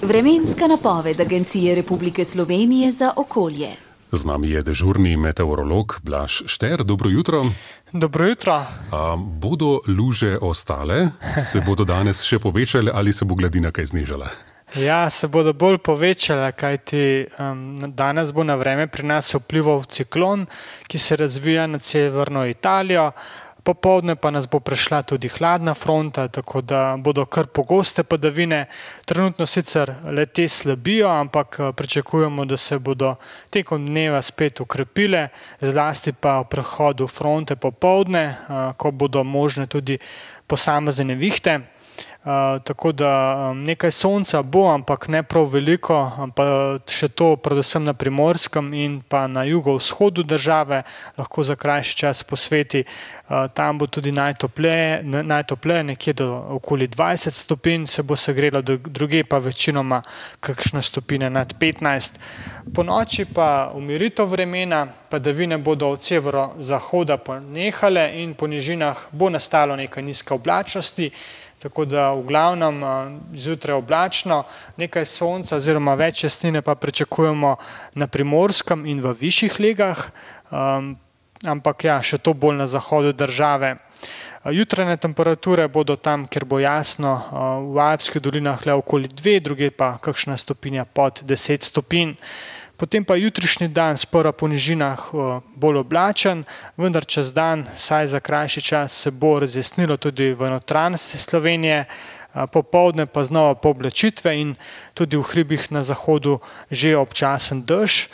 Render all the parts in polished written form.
Vremenska napoved Agencije Republike Slovenije za okolje. Z nami je dežurni meteorolog Blaž Šter. Dobro jutro. Dobro jutro. Bodo luže ostale? Se bodo danes še povečale ali se bo gladina kaj znižala? Ja, se bodo bolj povečale, kajti danes bo na vreme pri nas vplival ciklon, ki se razvija nad severno Italijo. Popoldne pa nas bo prešla tudi hladna fronta, tako da bodo kar pogoste padavine. Trenutno sicer le-te slabijo, ampak pričakujemo, da se bodo tekom dneva spet okrepile, zlasti pa v prehodu fronte popoldne, ko bodo možne tudi posamezne nevihte. Tako da nekaj sonca bo, ampak ne prav veliko, ampak še to predvsem na Primorskem in pa na jugovzhodu države, lahko za krajši čas posveti. Tam bo tudi najtopleje, nekje do okoli 20 stopinj se bo segrelo, drugje pa večinoma kakšne stopinje nad 15. Po noči pa umiritev vremena, padavine bodo od severozahoda ponehale in po nižinah bo nastalo nekaj nizke oblačnosti. Tako da v glavnem zjutraj oblačno, nekaj sonca oziroma več jasnine pa pričakujemo na Primorskem in v višjih legah, ampak ja, še to bolj na zahodu države. Jutranje temperature bodo tam, kjer bo jasno, v Alpskih dolinah le okoli 2, druge pa kakšna stopinja pod 10 stopinj. Potem pa jutrišnji dan sprva po nižinah bolj oblačen, vendar čez dan, saj za krajši čas, se bo razjasnilo tudi v notranjosti Slovenije, popoldne pa znova pooblačitve in tudi v hribih na zahodu že občasen dež.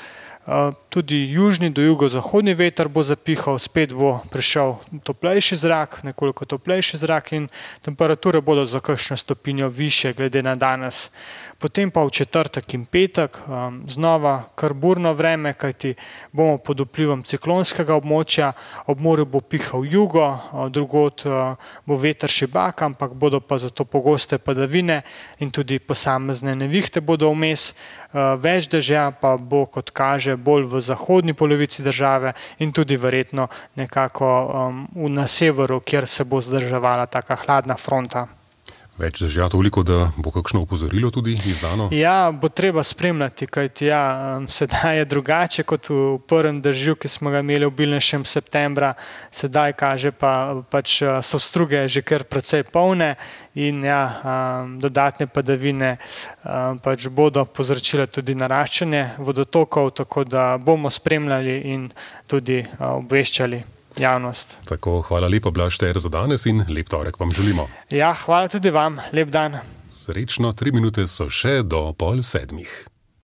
Tudi južni do jugozahodni veter bo zapihal, spet bo prišel toplejši zrak, nekoliko toplejši zrak in temperature bodo za kakšno stopinjo višje glede na danes. Potem pa v četrtek in petek znova kar burno vreme, kajti bomo pod vplivom ciklonskega območja, ob morju bo pihal jugo, drugod bo veter šibak, ampak bodo pa zato pogoste padavine in tudi posamezne nevihte bodo vmes. Več dežja pa bo, kot kaže, bolj v zahodni polovici države in tudi verjetno nekako na severu, kjer se bo zdrževala taka hladna fronta. Več dežja toliko, da bo kakšno opozorilo tudi izdano? Ja, bo treba spremljati, kajti sedaj je drugače kot v prvem dežju, ki smo ga imeli obilnejšem septembra. Sedaj kaže pač so struge že kar precej polne in dodatne padavine pač bodo povzročile tudi naraščanje vodotokov, tako da bomo spremljali in tudi obveščali javnost. Tako, hvala lepa, Blaž Šter, za danes in lep torek vam želimo. Ja, hvala tudi vam, lep dan. Srečno, 3 minute so še do 6:30.